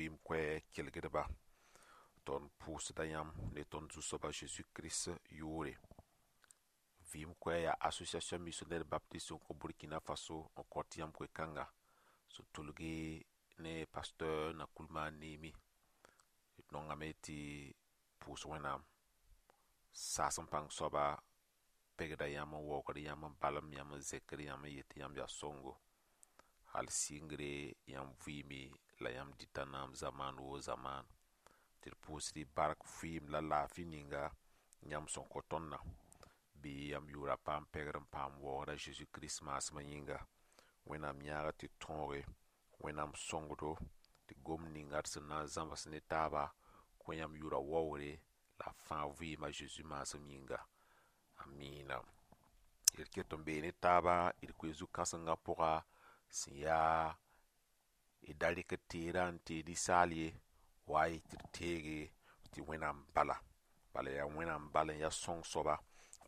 Vɩɩm koɛɛg kelgdba, tõnd pʋʋsda yãmb ne tõnd Zu-soab a Zeezi Kirist yʋʋre. Vɩɩm koɛɛg yaa Association Missionnaire Baptiste n kõ Burkina Faso n kõt yãmb koe-kãnga sẽn tʋlge ne pasteur Nakoulma Némi. D nongame tɩ pʋʋs Wẽnnaam saas n pãng soaba pegda yãmb n waoogd yãmb n balem yãmb n zẽkd yãmb n yet tɩ yãmb yaa sõngo hal sɩngre yãmb vɩɩme la yãmb dɩta naam zamaan woo zamaan tɩ d pʋʋsd y bark vɩɩm la laafɩ ninga yãmb sẽn kõ tõndã bɩ yãmb yʋʋra paam pɛgr n paam waoogd a Zeezi Kirist maasmã yĩnga. Wẽnnaam yãaga tɩ tõoge, Wẽnnaam sõngdo tɩ gomd ninga d sẽn na n zãms ne taaba kõ yãmb yʋʋra waoogre la fãa vɩɩm a Zeezi maasem yĩnga. Amiina. D ket n bee ne taaba d koe zu-kãsengã pʋga sẽn yaa d da rɩk teerã n tee ninsaal ye wa y tɩ d teege tɩ Wẽnnaam bala. Bala yaa Wẽnnaam bal n yaa sõng soaba,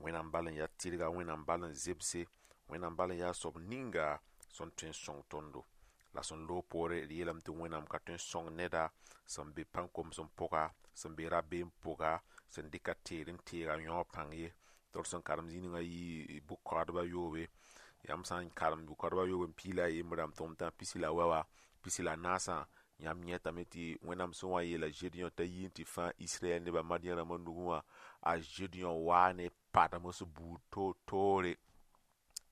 Wẽnnaam bal n yaa tɩrga, Wẽnnaam bal n zemse, Wẽnnaam bal n yaa soab ninga sẽn tõe n sõng tõndo. La sẽn loog poore d yeelame tɩ Wẽnnaam ka tõe n sõng neda sẽn be pãn-komsem pʋga, sẽn be rabeem pʋga, sẽn dɩka teer n teega yõog pãng ye. Tɩ d sẽn karem zĩig ninga yɩ bʋ-kaoodba yoobe. Yãmb sã n karem bʋ-kaoodba yoobe n piig la a yembrã n tʋm tã pisi la wɛ wã, pisi la naasã, yãmb yẽtame tɩ Wẽnnaam sẽn wa n yeela Zedeõ t'a yi n tɩ fãa Israɛl nebã Madian rãmbã nugẽ wã, a Zedeõ waa ne padms buud toor-toore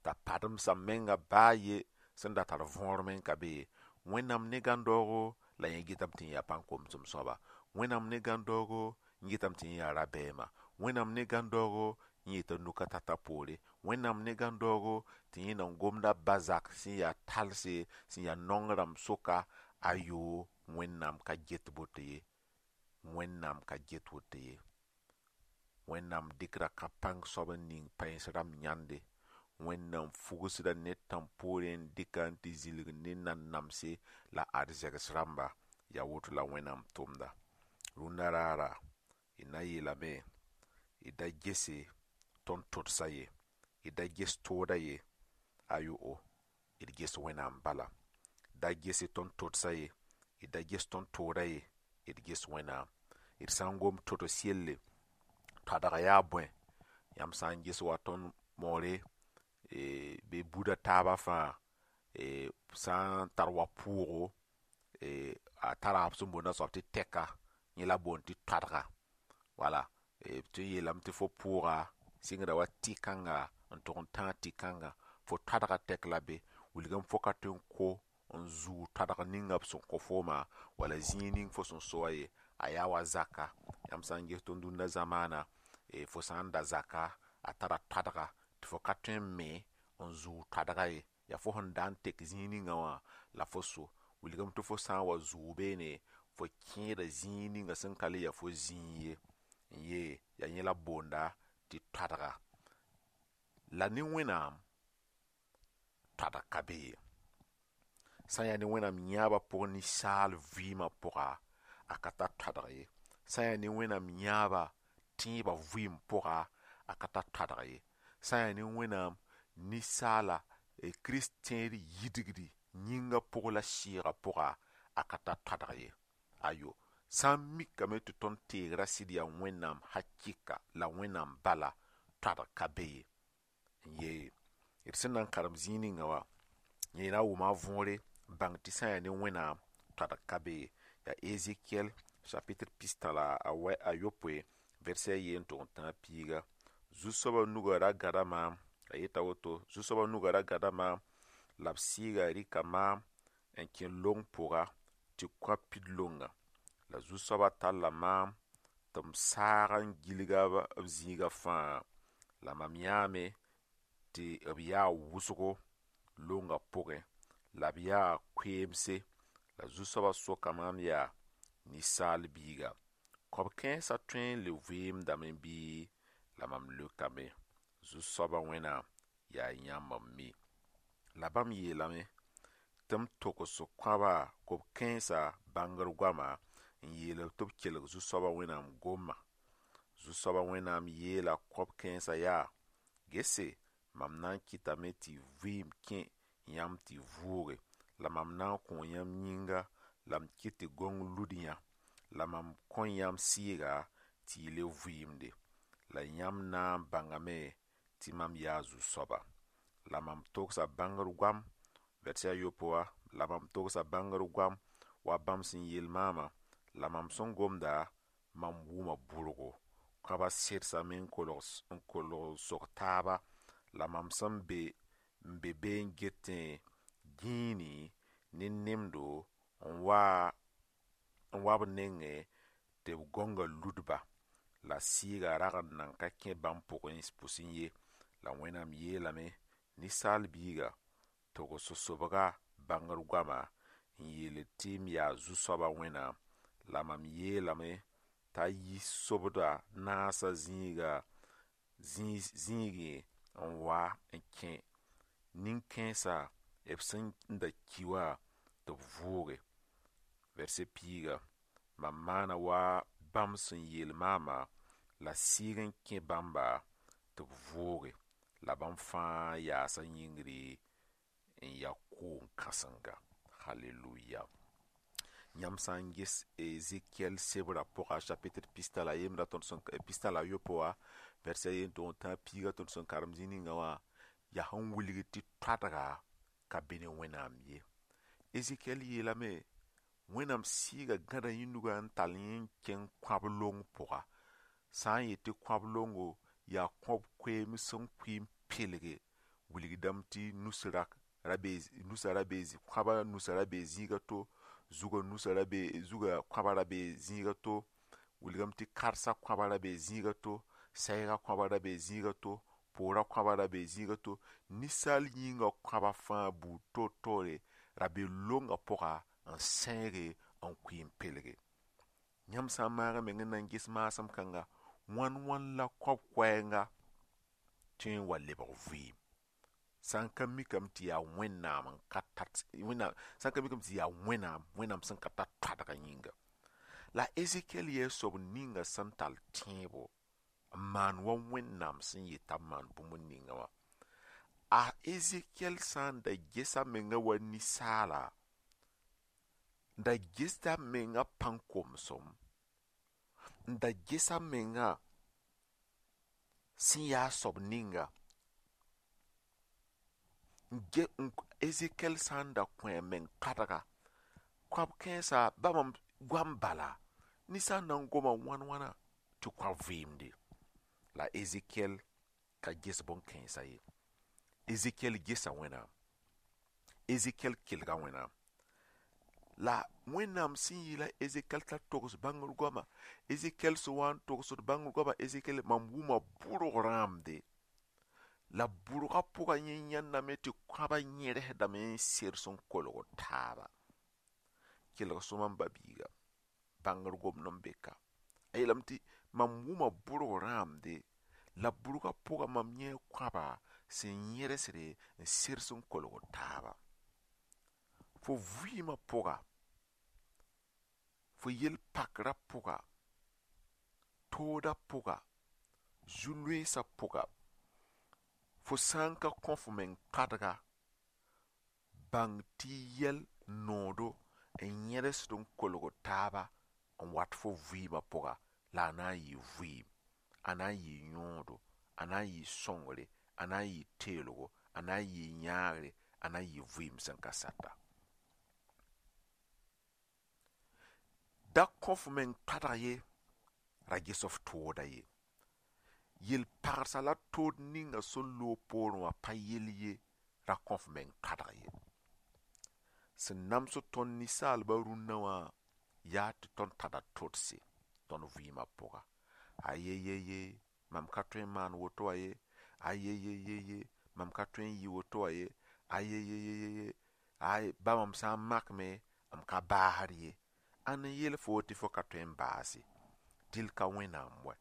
t'a pademsã menga baa ye sẽn da tar võor me n ka be ye. Wẽnnaam ne gãn-daoogo la yẽ getame tɩ yẽ yaa pãn-komsem soaba. Wẽnnaam ne gãn-daoogo n getame tɩ yẽ yaa rabɛɛma. Wẽnnaam ne gãn-daoogo n yeta nuka tata poore. Wẽnnaam ne gãn-daoogo tɩ yẽ nan gomda bazak sẽn yaa talse, sẽn yaa naong rãmb soka, ayoo, Wẽnnaam ka get boto ye. Wẽnnaam ka get woto ye. Wẽnnaam dɩkda ka-pãng soab n ning pãens rãmb yãnde. Wẽnnaam fugsda ned tãm poorẽ n dɩka n tɩ zilg ne nanamse la ad zɛgs rãmba. Yaa woto la Wẽnnaam tʋmda. Rũndã raara d na n yeelame d da gese tõnd todsa ye, d da ges tooda ye, ayo'o, d ges Wẽnnaam bala. Da gese tõnd todsa ye, d da ges tõnd tooda ye, d ges Wẽnnaam. D sã n gom tods yelle, toadg yaa bõe? Yãmb sã n ges wa tõnd moore bɩ buda taabã fãa sã n tar wa pʋʋgo, a tara b sẽn boonda soab tɩ tɛka, yẽ la boond tɩ toadga. Wala b tõe n yeelame tɩ fo pʋʋga sɩngda wa tɩ-kãnga n tʋg n tãag tɩ-kãnga, fo toadga tɛk la be, wilgame fo ka tõe n ko n zuu toadg ninga b sẽn kõ fooma wala zĩig ning fo sẽn so wã ye, a yaa wa zaka. Yãmb sã n ges tõnd dũnna zamaana, fo sã n da zaka, a tara toadga tɩ fo ka tõe n me n zuu toadga ye. Yaa fo sẽn da n tek zĩig ninga wã la fo so. Wilgame tɩ fo sã n wa zuu beene, fo kẽeda zĩig ninga sẽn ka le ya fo zĩig ye. N yee yaa yẽ la b boonda tɩ toadga. La ne Wẽnnaam toadg ka be ye. Sã n yaa ne Wẽnnaam yãabã pʋgẽ ninsaal vɩɩmã pʋga, a ka tar toadg ye. Sã n yaa ne Wẽnnaam yãabã tẽebã vɩɩm pʋga, a ka tar toadg ye. Sã n yaa ne Wẽnnaam ninsaala Kirist tẽed yidgdi yĩngã pʋg la sɩɩgã pʋga, a ka tar toadg ye. Ayo, sã n mikame tɩ tõnd teegrã sɩd yaa Wẽnnaam hakɩka la Wẽnnaam bala, toadg ka be ye. N yee d sẽn na n karem zĩig ninga wã, yẽ na n wʋma a võore n bãng tɩ sã n yaa ne Wẽnnaam toadg ka be ye. Yaa Ezekiel chapitre pistã la a yopoe verset a yee n tʋg n tãag piiga. Zu-soabã nugã ra gãda maam, a yeta woto, Zu-soabã nugã ra gãda maam la b sɩɩga rɩka maam n kẽ long pʋga tɩ kõ pid longa. La Zu-soabã talla maam tɩ m saag n gilga b zĩigã fãa. La mam yãame tɩ b yaa wʋsgo longã pʋgẽ la b yaa koeemse. La Zu-soabã soka maam yaa ninsaal biiga, kõb-kãensã tõe n le vɩɩmdame bɩ? La mam leokame, Zu-soabã Wẽnnaam yaa yãmb n mi. La bãmb yeelame tɩ m togs kõaba kob-kãensã bãngr goama n yeel tɩ b kelg Zu-soabã Wẽnnaam gomã. Zu-soabã Wẽnnaam yeela kõb-kãensã yaa: Gese, mam na n kɩtame tɩ vɩɩm kẽ yãmb tɩ vʋʋge, la mam na n kõ yãmb yĩnga La m kɩt tɩ gõng lud yã la mam kõ yãmb sɩɩga tɩ y le vɩɩmde. La yãmb na n bãngame tɩ mam yaa Zu-soaba. La mam togsa bãngr goam, vɛrse a yopoe wã, la mam togsa bãngr goam wa bãmb sẽn yeel maamã, la mam sẽn gomda, mam wʋma bʋrgo. Kãbã sedsame n kolg n sog taaba, la mam sẽn be n be be n getẽ gĩini ne nemdo n wa b nengẽ tɩ b gõngã ludba. La sɩɩgã rag n nan ka kẽ bãmb pʋsẽ ye. La Wẽnnaam yeelame, ninsaal biiga, togs sobga bãngr goama n yeel tɩ m yaa Zu-soaba Wẽnnaam. La mam yeelame t'a yi sobda naasã zĩiga zĩigẽ n wa n kẽ nin-kãensã b sẽn da ki wã tɩ b vʋʋge. Vɛrse piiga, mam maana wa bãmb sẽn yeel maamã la sɩɩg n kẽ bãmba tɩ b vʋʋge. La bãmb fãa yaasa yĩngri n ya koom-kãsenga. Halleluya. Yãmb sã n ges Ezekiel sebrã pʋga chapitre pista la yembra tõnd sẽn pista la yopoe wã vɛrse a yen tʋg n tã piiga tõnd sẽn karem zĩ ninga wã yaa sẽn wilg tɩ toadga ka be ne Wẽnnaam ye. Ezekiel yeelame Wẽnnaam sɩɩga gãda yĩndugã n tall yẽ n kẽng kãb long pʋga. Sã n yet tɩ kãb longo yaa kõb koeem sẽn kʋɩ n pelge wilgdame tɩ nus nusã ra be kãbã nusã ra bee zĩiga to, zugã nusã ra be zugã kãbã ra bee zĩiga to, wilgame tɩ karsã kãbã ra bee zĩiga to, sɛɛga kãbã ra bee zĩiga to, poorã kãbã ra bee zĩiga to, ninsaal yĩngã kãbã fãa buud toor-toore ra be longã pʋga n sẽege n kʋɩ n pelge. Yãmb sã n maag meng n na n ges maasem kãnga, wãn wãn la kõb koɛɛnga tõe n wa lebg vɩɩm. Sã n ka mikame tɩ yaa Wẽnnaam n ka tat Wẽnnaam sã n ka mikame tɩ yaa Wẽnnaam Wẽnnaam sẽn ka tar toadgã yĩnga. La Ezekiel yaa soab ninga sẽn tall tẽebo n maan wa Wẽnnaam sẽn yet t'a maan bũmb ninga wã. A Ezekiel sã n da gesa menga wa ninsaala n da gesda menga pãn-komsem n da gesa menga sẽn yaa soab ninga Ezekiel sã n da kõ a meng toadga kõab kãensã ba mam goam bala ninsaal na n goma wãn wãna tɩ kõab vɩɩmde. La Ezekiel ka ges bõn-kãensã ye. Ezekiel gesa Wẽnnaam. Ezekiel kelga Wẽnnaam. La Wẽnnaam sẽn yeela Ezekiel t'a togs bãngr goama, Ezekiel sẽn wa n togsd bãngr goama, Ezekiel mam wʋma bʋrg rãamde. La bʋrgã pʋgã yẽ yãndame tɩ kãbã yẽresdame n sers n kolg taaba. Kelg sõma m ba-biiga, bãngr gomd n be ka. A yeelame tɩ mam wʋma bʋrg rãamde, la bʋrgã pʋgã mam yẽ kãba sẽn yẽresde n sers n kolg taaba. Fo vɩɩmã pʋga, fo yel-pakrã pʋga, toodã pʋga, zu-loeesã pʋga, fo sã n ka kõ fo meng toadga, bãng tɩ yɛl noodo n yẽresd n kolg taaba n wat fo vɩɩmã pʋga la a na n yɩ vɩɩm, a na n yɩ yõodo, a na n yɩ sõngre, a na n yɩ teelgo, a na n yɩ yãagre, a na n yɩ vɩɩm sẽn ka sata. Da kõ f meng toadg ye, ra ges f tooda ye. Yel-pagsã la tood ninga sẽn loog poorẽ wã pa yell ye, ra kõ f meng toadg ye. Sẽn namsd tõnd ninsaalbã rũnnã wã yaa tɩ tõnd tara todse tõnd vɩɩmã pʋga. Ayeyeye, mam ka tõe n maan woto wã ye. Ayeyeyeye, mam ka tõe n yɩ woto wã ye. Ayeyeyeye, ay ba mam sã n makme, m ka baasd ye. Ãn n yeel fo tɩ fo ka tõe n baase? Dɩl ka Wẽnnaam wɛ.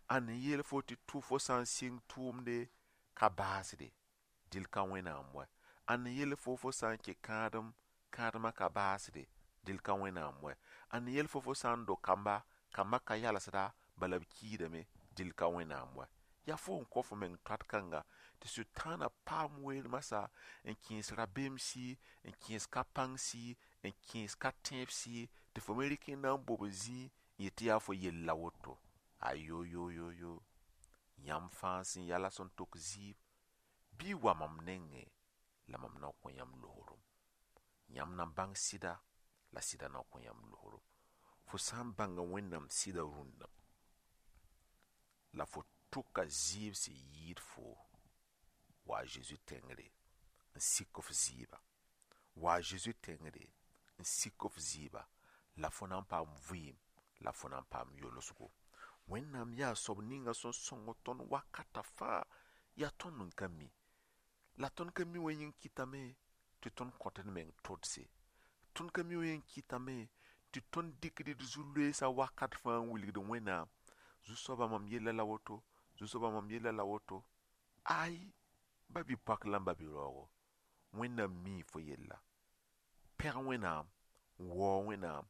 Ãn n yeel fo tɩ fo sã n sɩng tʋʋmde ka baasde? Dɩl ka Wẽnnaam wɛ. Ãn n yeel fo fo sã n kẽ kãadem, kãademã ka baasde? Dɩl ka Wẽnnaam wɛ. Ãn n yeel fo fo sã n do kamba, kambã ka yalsda, bala b kiidame? Dɩl ka Wẽnnaam wɛ. Yaa fo n kõ fo meng toat kãnga tɩ Sʋtãanã paam weer masã n kẽes rabeem sɩ, n kẽes ka pãng sɩ, n kẽes ka tẽeb sɩ, tɩ fo me rɩk n na n bob zĩ n yet tɩ yaa fo yell la woto. Ayo-yo-yo-yo, yãmb fãa sẽn ya la sẽn tok zɩɩb, bɩ y wa mam nengẽ la mam na n kõ yãmb loogrum. Yãmb na n bãng sɩda la sɩda na n kõ yãmb loogrum. Fo sã n bãnga Wẽnnaam sɩda rũnna la fo tʋka zɩɩb sẽn yɩɩd fo, wa a Zeezi tẽngre n sik f zɩɩba. Wa a Zeezi tẽngre n sik f zɩɩba la fo na n paam vɩɩm la fo na n paam yolsgo. Wẽnnaam yaa soab ninga sẽn sõng tõnd wakata fãa, yaa tõnd n ka mi. La tõnd ka mi wã yĩng kɩtame tɩ tõnd kõt d meng todse. Tõnd ka mi wã yĩng kɩtame tɩ tõnd dɩkd d zu-loeesã wakat fãa n wilgd Wẽnnaam. Zu-soabã mam yella la woto, zu-soabã mam yella la woto. Ay, ba-bi-poak la n ba-bi-raoogo, Wẽnnaam mii fo yella. Pẽg Wẽnnaam, waoog Wẽnnaam,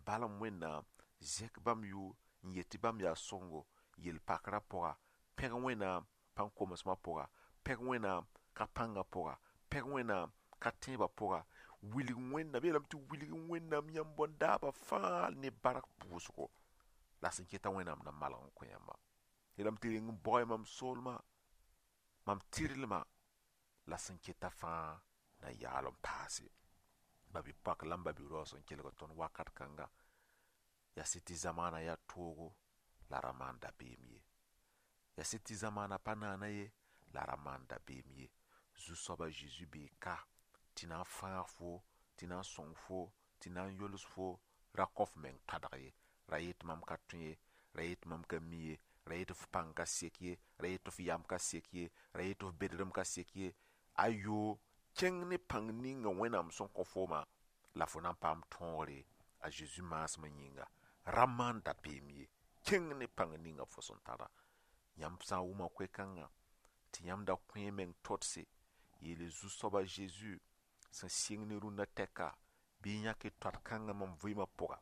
balem Wẽnnaam, zẽk bãmb yʋʋr n yet tɩ bãmb yaa sõngo yel-pakrã pʋga. Pẽg Wẽnnaam pãn-komsmã pʋga, pẽg Wẽnnaam ka pãngã pʋga, pẽg Wẽnnaam ka tẽebã pʋga. Wilg Wẽnnaam, yeelame tɩ wilg Wẽnnaam yãmb bõn-daabã fãa ne bark pʋʋsgo. La sẽn keta Wẽnnaam na malg n kõ yãmba. Yeelame tɩ reng n baoe mam soolmã, mam tɩrlmã, la sẽn keta fãa na yaal n paase. Ba-bi-poak la n ba-bi-raoog sẽn kelg tõnd wakat kãnga, yaa sɩd tɩ zamaana yaa toogo la ra maan dabeem ye. Yaa sɩd tɩ zamaana pa naana ye la ra maan dabeem ye. Zu-soaba Zeezi bee ka tɩ na n fãag fo, tɩ na n sõng fo, tɩ na n yols fo, ra kõ f meng toadg ye. Ra yet mam ka tõe ye, ra yet mam ka mi ye, ra yet f pãng ka sek ye, ra yet f yam ka sek ye, ra yet f bedrem ka sek ye. Ayo, kẽng ne pãng ninga Wẽnnaam sẽn kõ fooma la fo na n paam tõogre a Zeezi maasmã yĩnga. Ra maan dabeem ye, kẽng ne pãng ninga fo sẽn tara. Yãmb sã n wʋma koe-kãngã tɩ yãmb da kõ y meng todse, yeele Zu-soaba Zeezi sẽn sɩng ne rũnnã tɛka, bɩ y yãk y toad-kãngã mam vɩɩmã pʋga.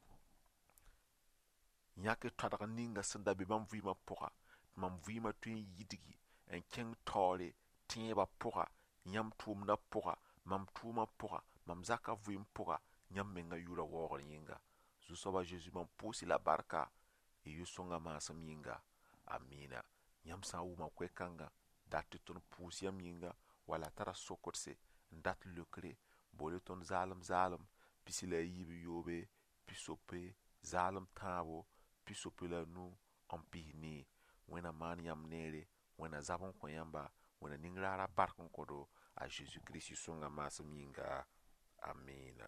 Yãk toadg ninga sẽn da be mam vɩɩmã pʋga, tɩ mam vɩɩmã tõe n yidgi n kẽng taoore tẽebã pʋga, yãmb tʋʋmdã pʋga, mam tʋʋmã pʋga, mam zakã vɩɩm pʋga, yãmb mengã yʋʋrã waoogr yĩnga. Zu-soaba Zeezi mam pʋʋs-y la barka, y yʋ-sõngã maasem yĩnga. Amina. Yãmb sã n wʋma koe-kãngã, dat tɩ tõnd pʋʋs yãmb yĩnga, wala tara sokdse n dat leokre, boole tõnd zaalem zaalem, 17, 60, zaalem tãabo, 65 n 14. Wẽnna maan yãmb neere, Wẽnna zab n kõ yãmba, Wẽnna ning raara bark n kõ-do a Zeezi Kirist sõnga maasem yĩnga. Amina.